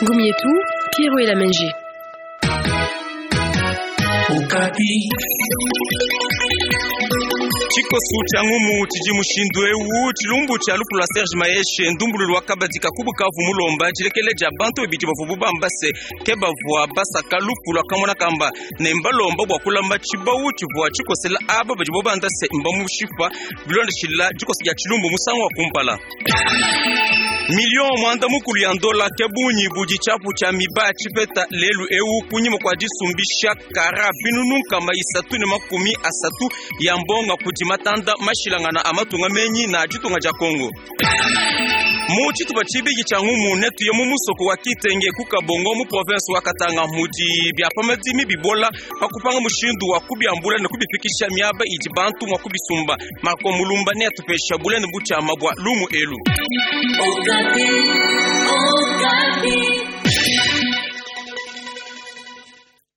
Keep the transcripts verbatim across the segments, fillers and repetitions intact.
Gumietu, Pierrot et la Menji. Tshikosu tshia ngumu tshidi mushindu ewu tshilumbu tshia lufu lua Serge Mayeshe ndumbululu wa kabadi kakubu kavu mulomba tshilekele dia bantu babidi bavua bubamba se ke bavua basaka lufu lua kamona kamba ne mbalomba bua kulamba tshibawu tshivua tshikosela aba badi bobanda se mbamushipa bilondeshila dikosa dia tshilumbu musangu wa kumpala. Million mwanda mukulu ya ndola ke bunyi budi tshiapu tshia miba tshipeta lelu ewu kunyima kwa disumbisha kara binunu nkama isatu ne makumi asatu ya mbonga kudi matanda mashilangana a matunga menyi na ditunga dia Kongo. Mu tshitupa tshibiki tshia ngumu netuye mu musoko wa Kitenge ku Kabongo mu province wa Katanga mudi bia pamadimi bibola pa kupanga mushindu wa kubiambula ne kubifikisha miaba idi bantu mua kubisumba. Marco Mulumba ne atupesha bulene butshiama bua lumu elu.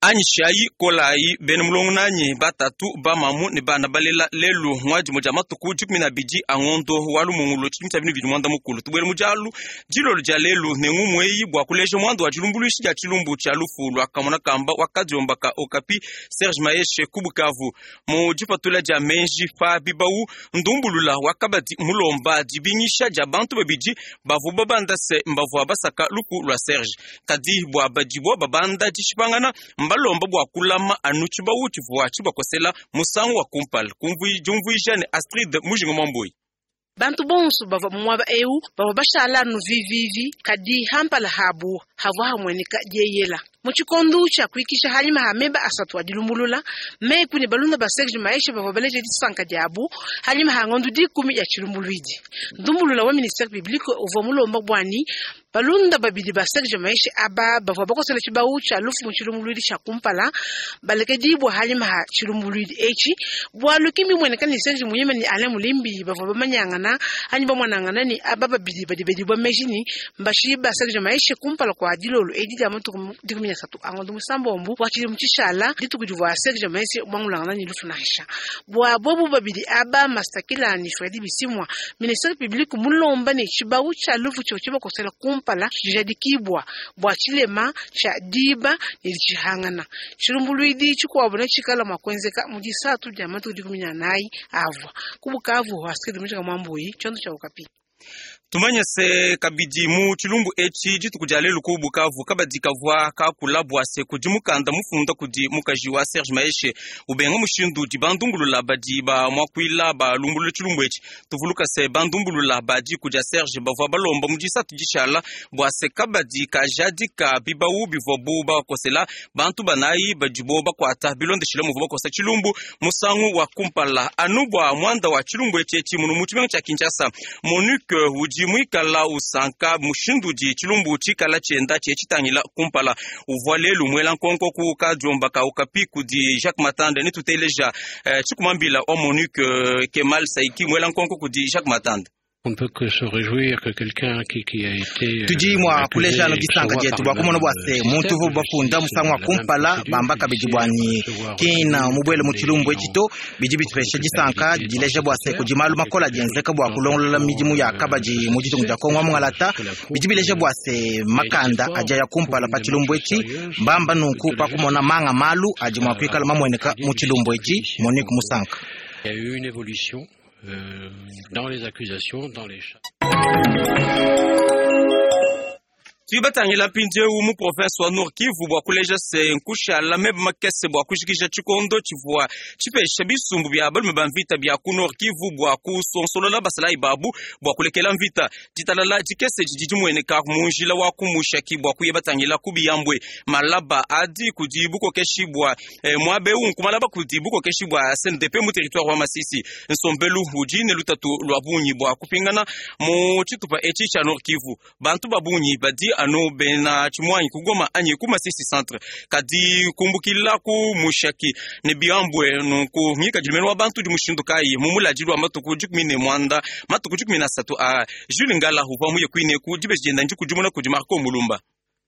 Anyishayi kolayi bene mulongo nanyi batatu bamamu ne bana balela lelu ngwadi moja matuku dikumi na bidi angondo walu mungulu tshidimu tshia binu bidi mwanda mukulu tubwele mujalu dilolo dia lelu ne ngumu eyi bua kuleja mwanda wa dilumbuluishi dia tshilumbu tshia lufu lua kamona kamba wa kadiombaka Okapi Serge Mayeshe ku Bukavu mu dipatula dia menji pa bibawu ndumbulula wa kabadi mulomba dibingisha dia bantu babidi bavua babanda se mbavua basaka lufu lua Serge kadi bua badibua babanda dishipangana mbalomba bua kulama anu tshibawu tshivua tshibakosela musangu wa kumpala diumvuija ne Astrid Mujinga Mwambui. Bantu bonso bavua muaba eu bavua bashala anu vivivi kadi hampala habu havua hamweneka dieyela mu tshikondu tshia kuikisha halima ha meba asatu adilumbulula meku ne balunda ba Serge Mayeshe bavua baleja disanka diabu halima ha ngondu dikumi ya tshilumbuluidi ndumbulula wa ministère public uvua mulomba bwani balunda babidi ba Serge Mayeshe aba bavua bakosela tshibawu tshia lufu mu tshilumbuluidi tshia kumpala balekedibwa halima ha tshilumbuluidi etshi bwalu kimbi mweneka ni Serge Muyima ni Alain Mulimbi bavua bamanyangana anyi bamwanangana ni aba babidi badi bedibwa meji mbashi ba Serge Mayeshe kumpala kwa dilolo edi dia matuku dikumi na satu angondo musambombu wa tshidimu tshishala dituku divua Serge Mayeshe mwangulangana ni lufu nansha bwa bobu babidi aba Mastakila ni Fredi Bisimwa ministère public mulomba ne tshibawu tshia lufu tshivua tshibakosela kumpala tshijadikibwa bwa tshilema tshia diba ne tshihangana tshilumbuluidi tshikuabu ne tshikala mua kuenzeka mu disatu dia matuku dikumi na anayi avua ku Bukavu Astrid Mujinga Mwambui tshiondo tshia Okapi. Tumanye se kabidi mu tshilumbu etshi dituku dia lelu ku Bukavu kabadi kavua kakula bua se kudi mukanda mufunda kudi mukaji wa Serge Mayeshe ubenga mushindu di bandumbulula badi ba muakuila balumbulula tshilumbu etshi tuvuluka se bandumbulula badi kudia Serge bavua balomba mu disatu dishala bua se kabadi kajadika bibawu bivua bu bakosela bantu banayi badibo bakuata bilondeshile muvua bakosa tshilumbu musangu wa kumpala anu bua muanda wa tshilumbu etshi etshi munu mu tshimenga tshia Kinshasa Monique udi mwikala usanka mushindu di tshilumbu tshikala tshienda tshie tshitangila kumpala uvua lelu mwela nkonko ku kadiomba ka Okapi kudi Jacques Matande ne tuteleja eh, tshikumambila wa Monique eh, Kemal Saiki mwela nkonko kudi Jacques Matande. On ne peut que se réjouir que quelqu'un qui, qui a été tudi mwa kuleja no disanka dietu bua kumona bua se muntu uvu bafunda musangu wa kumpala bamba kabidi bwanyi kina mubwele mu tshilumbu etshi to bidi bitupesha disanka dileja bua se kudi malu makola dienzeka bua kulongolola midimu ya kabadi mu ditunga dia Kongo mungalata bidi bileja bua se makanda adia ya kumpala pa tshilumbu etshi mbamba nunku pa kumona manga malu adi mua kuikala mamueneka mu tshilumbu etshi Monique Musanka. Il y a eu une évolution Euh, dans les accusations, dans les charges. Tuibatangila mpindieu mu province wa Nord Kivu bua kuleja se nkushala meba makese bua kujikija tshikondo tshivua tshipesha bisumbu bia balume ba mvita bia ku Nord Kivu bua kusonsolola basalayi babu bua kulekela mvita ditalala dikese didi dimueneka mu njila wa kumushaki bua kuya batangila ku Biyambwe malaba adi kudi bukokeshi bua eh, muabe eu nkumalaba kudi bukokeshi bua S N D P mu territoire wa Masisi nsombelu udi ne lutatu lua bungi bua kupingana mu tshitupa etshi tshia Nord Kivu bantu ba bungi badi anu bena tshimwanyi kugoma anyi ku Masisi centre kadi kumbukila ku Mushaki ne Biyambwe nunku ngikadilu wa bantu di mushindu kayi mu muladilu wa matuku dikumi ne mwanda matuku dikumi na satu a Jules Ngala uvua muye kuine ku dibeji dienda ndi kudimuna kudi Marco Mulumba.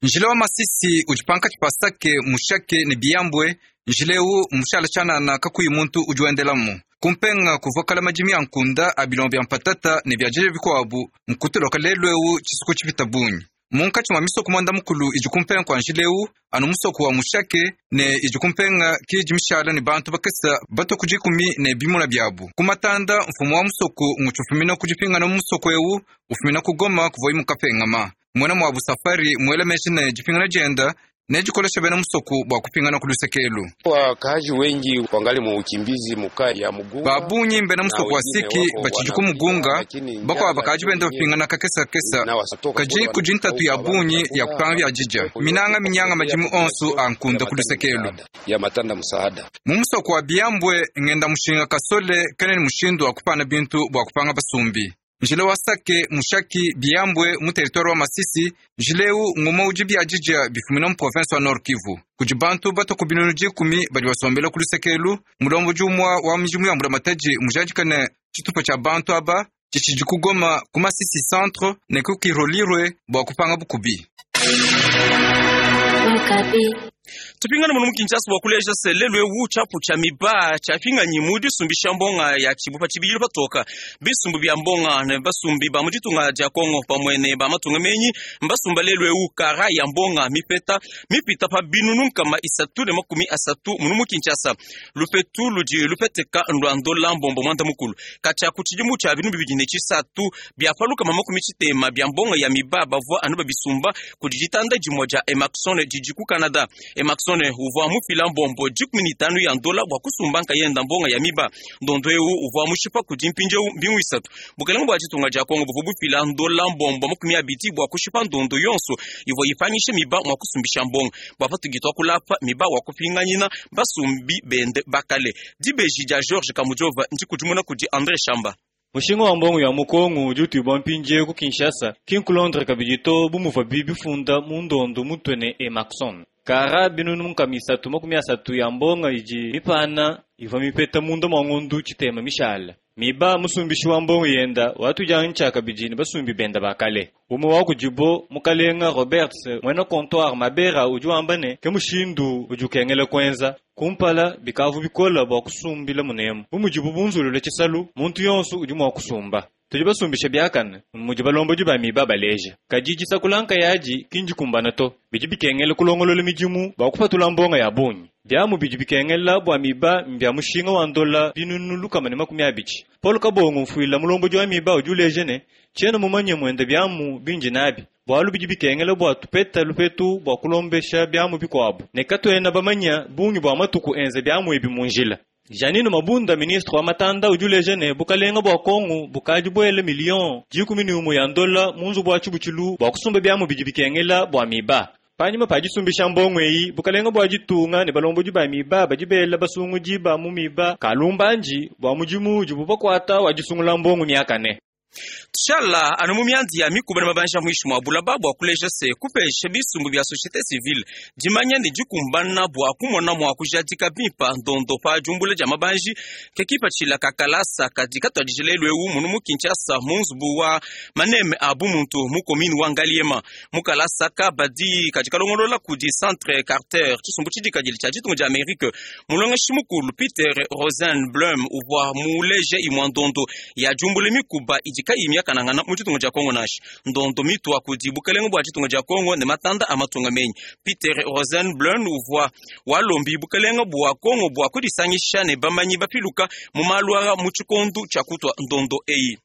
Njile wa Masisi udi pankatshi pa Sake, Mushake ne Biyambwe njile eu mushala tshianana kakuyi muntu udi wendelamu. Kumpenga kuvua kala madimi ya nkunda a bilongo bya mpatata ne bya dija bikuabu nkutuloka lelu ewu tshisuku tshipita bungi. Munkatshi mwa misoko mwanda mukulu idi kumpenga kwa njila ewu anu musoko wa Mushake ne idi kumpenga kidi mishala ne bantu bakesa bato ku dikumi ne bimuna byabu. Kumatanda mfumu wa musoko ngutshufumina ku dipingana mu musoko ewu ufumina ku Goma kuvoyi mukapengama. Mwena mwa busafari mwela meji ne dipingana dienda ne dikolesha bena musoko bwa kupingana ku lusekelu. Wakaaji wengi wangali mu ukimbizi muka ya Mugunga. Babunyi mbena musoko wa Siki bachiji ku Mugunga bakwa bakaji benda bapingana kakesa kesa kaji kudi ntatu ya bunyi ya kupanga bya jija minanga minyanga majimu onsu a nkunda ku lusekelu ya matanda musaada. Mu musoko wa Biambwe ngenda mushinga kasole kene ni mushindu wa kupana bintu bwa kupanga basumbi. Njila wa Sake Mushaki Biambwe mu territoire wa Masisi njileu nguma udi bya jija bifumina mu province wa Nord Kivu. Kudi bantu bato ku binunu dikumi badi basombela ku lusekelu mulombo jumwa wa mijimu ya mbulamatadi mujadikane tshitupa tshia bantu aba tshitshidi ku Goma ku Masisi centre ne ku Kirolirwe bua kupanga bukubi. Tupingana muno mu Kinshasa bua kuleja se lelu ewu tshiapu tshia miba tshiapinganyi mu disumbisha mbonga ya tshibupa tshibili patoka bisumbu bya mbonga ne basumbi ba mu ditunga dia Kongo pamwe ne ba matunga menyi mbasumba lelu ewu kara ya mbonga mipeta mipita pa binunu nkama isatu ne makumi asatu muno mu Kinshasa lupetu ludi lupeteka ndwandola mbombo mwanda mukulu katshia ku tshidimu tshia binu bibidi ne tshisatu bya palukama makumi tshitema bya mbonga ya miba bavua anu babisumba kudi ditanda dimue dia Emaxon didi ku Canada. Emaxon uvua mufila mbombo dikumi ne itanu ya ndola bua kusumba nkayenda mbonga ya miba ndondo ewu uvua mushipa kudi mpindieu mbingu isatu. Bukelenge bua ditunga dia Kongo buvua bufila ndola mbombo makumi abidi bua kushipa ndondo yonso ivua ipangisha miba mua kusumbisha mbonga bua patugitwa kulapa miba wa kupinganyina basumbi bende bakale. Dibeji dia George Kamujova ndikudimuna kudi André Shamba. Mushinga wa mbongo ya mukongo udi utibwa mpindieu ku Kinshasa kinkulondre kabidi to bumuva bifunda mu ndondo mutwene Emaxon. Kara binunu nkama isatu makumi asatu ya mbonga idi mipana ivua mipeta munda mwa ngondu tshitema mishala. Miba musumbishi wa mbongo yenda watujanga ntshaka bidi ne basumbi benda bakale. Umwe wa kudibo mukalenga Roberts mwena comptoir Mabera udi wamba ne ke mushindu udi ukengela kwenza kumpala bikavu bikola bua kusumbila munemu. Bumudibu bunzulule tshisalu muntu yonso udi mua kusumba. Tudi basumbisha biakane mudi balombodi ba miba baleja kadi disakulanka yadi kinji kumbana to bidi bikengela kulongolola midimu bua kupatula mbonga ya bungi. Biamu bidi bikengela bua miba mbya mushinga wa ndola binunu lukama ne makumi abidi. Paul Kabongo mfuila mulombodi wa miba udi uleja ne tshiena mumanye mwenda biamu binji nabi bualu bidi bikengela bua tupeta lupetu bua kulombesha biamu bikuabu ne katuena bamanya bungi bua matuku enze biamu ebi mu njila. Janine Mabunda ministre wa matanda udi uleja ne bukalenga bua Kongo bukadi buele million dikumi ne umue ya ndola mu nzubu wa tshibutshilu bua kusumba biamu bidi bikengela bua miba. Panyima pa disumbisha mbongo eyi bukalenga bua ditunga ne balombodi ba miba badi bela basungudi ba mu miba kalumbanji bua mudimu udibu bakuata wa disungula mbongo miakane. Tshala anu mu miandi ya mikuba ne mabanja muishi mwa bulaba bua kuleja se kupesha bisumbu bya société civile dimanya ne dikumbana bua kumona mua kujadika bimpa ndondo pa jumbula dia mabanji ke kipatshila kakalasa kadi katuadije lelu ewu munu mu Kinshasa mu nzubu wa maneme a bumuntu mu commune wa Ngaliema mu kalasa kabadi kadi kalongolola kudi centre Carter tshisumbu tshidikadile tshia ditunga dia Amerique mulongeshi mukulu Peter Rosenblum uvua muleje imua ndondo ya jumbula mikuba idi kayi miakanangana mu ditunga dia Kongo nashi ndondo mitwa kudi bukelenge bua ditunga dia Kongo ne matanda a matunga menyi. Peter Rosenblum uvua walombi bukelenge bua Kongo bua kudisangisha ne bamanyi bapiluka mu malu mu tshikondu tshia kutwa ndondo eyi.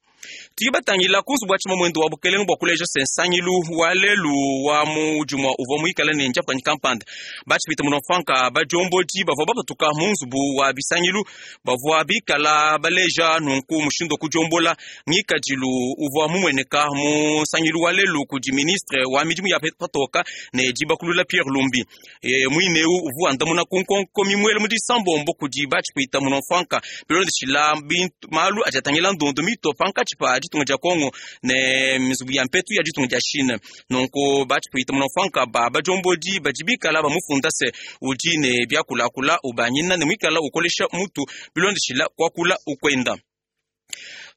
Tuyibatangila kunzu bua tshima mwendo wa bukelenge bua kuleja se nsangilu wa lelu wa mujumwa uvua muikale ne njapanyi kampanda batshipita muno mfanka bajombodi bavua bapatuka mu nzubu wa bisangilu bavua bikala baleja nunku mushindu kujombola ngikadilu uvua mumueneka mu nsangilu wa lelu kudi ministre wa midimu ya patoka ne dibakulula Pierre Lumbi e, mwineu uvua ndamuna kunkonko mimwele mu disambombo kudi batshipita muno mfanka bilondeshila bintu malu ajatangila ndondo mito panka pa ditunga dia Kongo ne mizubu ya mpetu ya ditunga dia Chine nonko batshipita muno mfanka ba bajombodi badibikala bamufunda se udi ne byakulakula ubanyina ne mwikala ukolesha mutu bilondeshila kwakula ukwenda.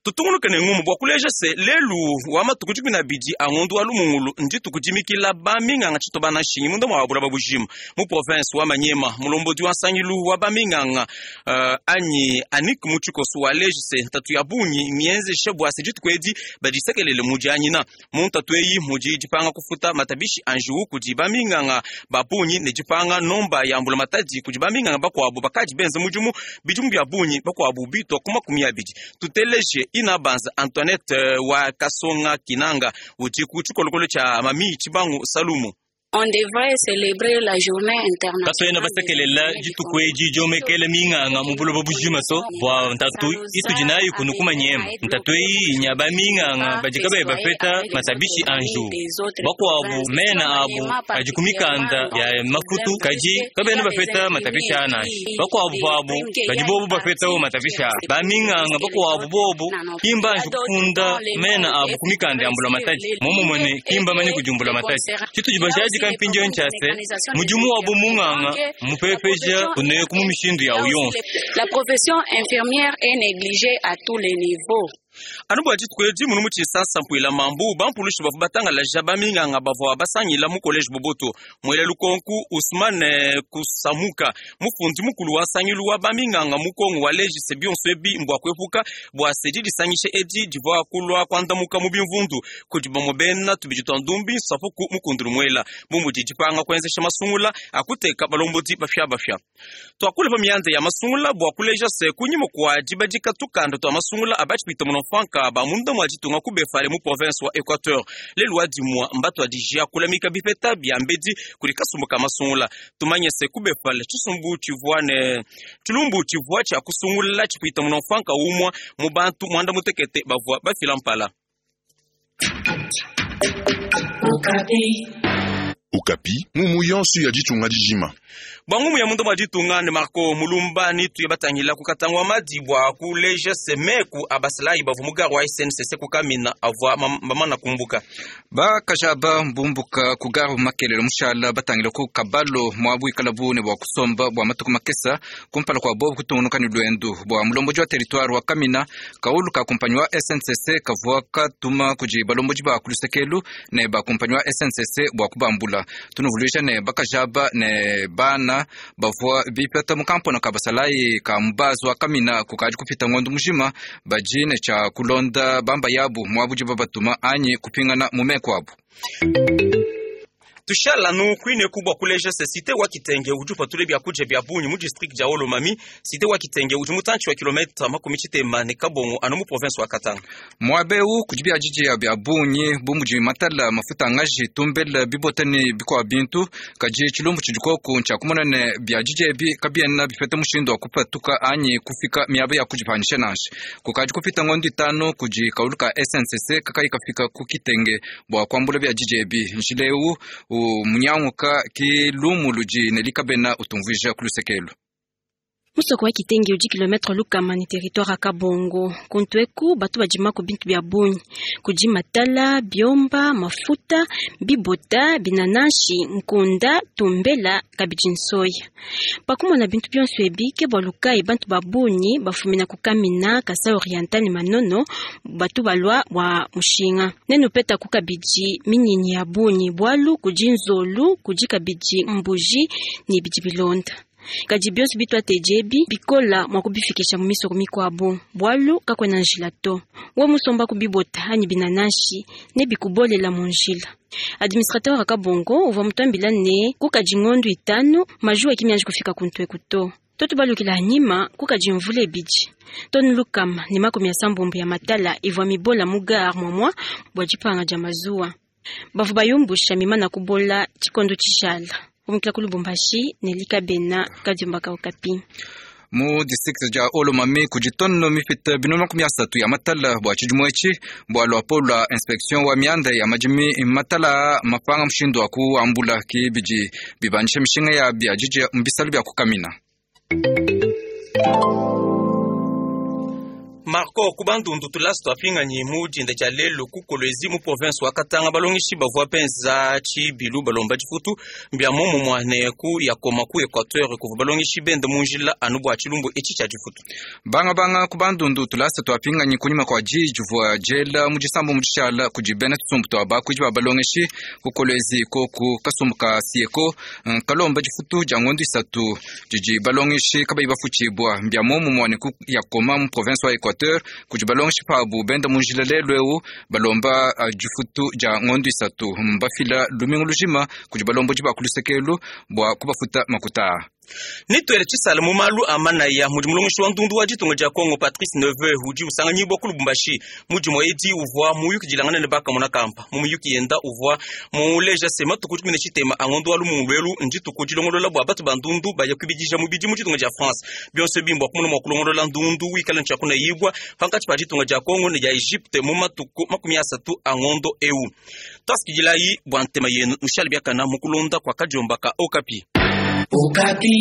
Tutungunuke ne ngumu bua kuleja se lelu wa matuku dikumi na abidi a ngondu wa lumungulu ndituku dimikila baminganga tshito bana nshingi munda mua bulaba bujima mu province wa Manyema. Mulombodi wa nsangilu wa baminganga uh, anyi Anik Mutshikoso waleje se ntatu ya bungi mienzesha bua se dituku edi badisekelele mudianyina mu ntatu eyi mudi dipanga kufuta matabishi anjiwu kudi baminganga ba bungi ne dipanga nomba ya mbula matadi kudi baminganga bakuabu bakadi benza mudimu bidimu bia bungi bakuabu bitwa ku makumi abidi. Tuteleje ina banza Antoinette wa Kasonga Kinanga udi ku tshikolokolo tshia Mami Tshibangu Salumu. On devrait célébrer la journée internationale. Katuena basekelela dituku edi diomekele minganga mu buloba bujima so bua ntatu itudi nayo kunu kumanyema. Ntatu eyi inya baminganga badi kabayi bapeta matabishi anju bakuabu mena abu adi ku mikanda ya mafutu kadi kabena bapeta matabishi anashi bakuabu pabu badi bobu bapetawo matabishi a baminganga bakuabu bobu kimba anju kufunda mena abu ku mikanda ya mbula matadi momumone kimba manye kujumbula matadi tshitudi bashadi kampinjo nchase mudimu wabo munganga mupepeja kuneku mu mishindu ya uyonso. La profession infirmière est négligée à tous les niveaux. Anu bua dituku edi munu mu tshisansa mpuila mambu bampulushi bavua batangalaja baminganga bavua basangila mu college Boboto. Mwele lukonku Ousmane Kusamuka mufundi mukulu wa nsangilu wa baminganga mu Kongo waleji se bionso ebi mbua kuepuka bua se didisangishe edi divua kulua kuandamuka mu bimvundu kudi bamue bena tubidi tua ndumbi nsapuku mukundulu muela bu mudi dipanga kuenzesha masungula akuteka balombodi bafiabafia. Tuakule pa mianda ya masungula bua kuleja se kunyima kua dibadika tukanda tua masungula abatshipita muno franka ba munda mwa ditunga ku befale mu province wa Equateur lelu wa dimua mbatu adijia kulamika bipeta bia mbedi kuli kasumbu ka masungula. Tumanye se ku befale tshisumbu tshivua ne tshilumbu tshivua tshia kusungula tshipita muno franka umwa mu bantu mwanda mutekete bavua bafila mpala. Okapi mumu yonso ya ditunga dijima bwangumu ya mundu mwa ditunga ne Marco Mulumba ni tuye batangila kukatangwa madi bua kuleja semeku abasalayi bavua mugari wa S N C C kukamina avua bamana kumbuka bakajaba mbumbuka kugaru makelelo mushala batangila ku kabalo mwabu ikalabu ne bua kusomba bua matuku makesa kumpala kwa bobu kutungunuka ni lwendu bua mulomboji wa territoire wa Kamina kaulu ka kumpanyi wa S N C C kavua katuma kudi balomboji ba kulusekelu ne ba kumpanyi wa S N C C bua kubambula tunuvuluisha ne bakajaba ne bana bavua bipeta mukampona ka basalayi ka mubazi wa Kamina kukaji kupita ngondo mujima bajine cha kulonda bamba yabu mwabudi babatuma anyi kupingana mumeko abu. Tushala nu kwine kubwa kuleja se site wa Kitenge uju patule bya kuje bya bunyu mu district ya Olomami. Site wa Kitenge uju mutanchi wa kilomita makumi tshitema ne Kabongo anu mu province wa Katanga. Mwabeu kujibya jiji ya bya bunyi bumuji matala mafuta ngaji tumbela bibotani bikwa bintu kaji chilumbu chijikoku ncha kumona ne bya jiji ebi kabiena bifete mushindo wa kupatuka anyi kufika miabe ya kujipanisha nashi kukaji kupita ngondo itano kuji kauluka S N C C kakai kafika ku Kitenge bwa kwambula bya jiji ebi nshileu munyanguka kilumu luji nelikabena utumvija kulusekelo. Musoko wa Kitenge udi kilometre lukama ni territoire ya Kabongo. Kuntweku batu bajima ku bintu bya bunyi kudi matala, biomba, mafuta, bibota, binanashi, nkunda, tumbela, kabidi nsoya. Pakumona bintu bionso ebi ke bua lukai bantu ba bunyi bafumina ku Kamina, Kasai Oriental ni Manono batu balwa bua mushinga. Nenu peta ku kabidi minyinyi ya bunyi bwalu kudi nzolu, kudi kabidi mbuji ni bidi bilonda. Kadi bionso bitwatejebi bikola mwa kubifikisha mu misoko mikwabo bwalu kakwena njila to we musomba kubibota anyi binanashi ne bikubolela mu njila. Administrateur akabongo uvua mutambila ne kukadi ngondo itanu majuwa kimianji kufika kuntweku to toto balukila anyima kukadi mvula ebidi tonu lukama ne makumi asambombo ya matala ivua mibola mu gare mwamwa bua dipanga dia mazuwa bavua bayumbusha mimana kubola tshikondo tshishala. Kumukila ku Lubumbashi nelika bena kadiumbaka Okapi. Mu district ja Olomami kujitono mifita binono makumi asatu ya matala bua tshidimu etshi bua luapo lua inspection wa mianda ya madimi matala mapanga mushindu wa kuambula kibidi bibandisha mishinga ya bia jiji mbisalu bia kukamina. Marco kubandundu tulasi twapinganyi mu dinda dia lelo ku Kolwezi mu province wa Katanga balongeshi bavua benza tshibilu balomba difutu mbia momumua ne ku yakoma ku Equateur kuvua balongeshi benda mu njila anu bua tshilumbu etshi tshia difutu. Banga banga kubandundu tulasa twapinganyi kunyima kwa ji juvua jela mu disambu mu dishala kudi bena tsumbu twa bakuidi ba balongeshi ku Kolwezi koku kasumbu ka Sieko kalomba difutu dia ngondo isatu didi balongeshi kabayi bafutshibua mbia momumua ne ku yakoma mu province wa Equateur kudi balongeshi pabu benda mu njila lelu eu balomba uh, difutu dia ngondo isatu mbafila lumingu lujima kudi balombodi ba kulusekelu bua kubafuta makuta. Nitwele tshisala mu malu a manaya mudi mulongeshi wa ndundu wa ditunga dia Kongo Patrice Neveu udi usanganyibwa ku Lubumbashi mudimo edi uvua muyukidilangana ne bakamona kampa mu muyuki yenda uvua muleja se matuku dikumi ne tshitema a ngondo wa lumungulu elu ndituku dilongolola bua batu ba ndundu baya kwibidija mubidi mu ditunga dia France bionso bimbo kumuna mua kulongolola ndundu wikala ntshiakuna yibwa pankatshi pa ditunga dia Kongo ne dia Egypte mu matuku makumi asatu a ngondo eu twasikidila bua ntema yenu nushale biakana mukulonda kwa kadiombaka Okapi. Okapi.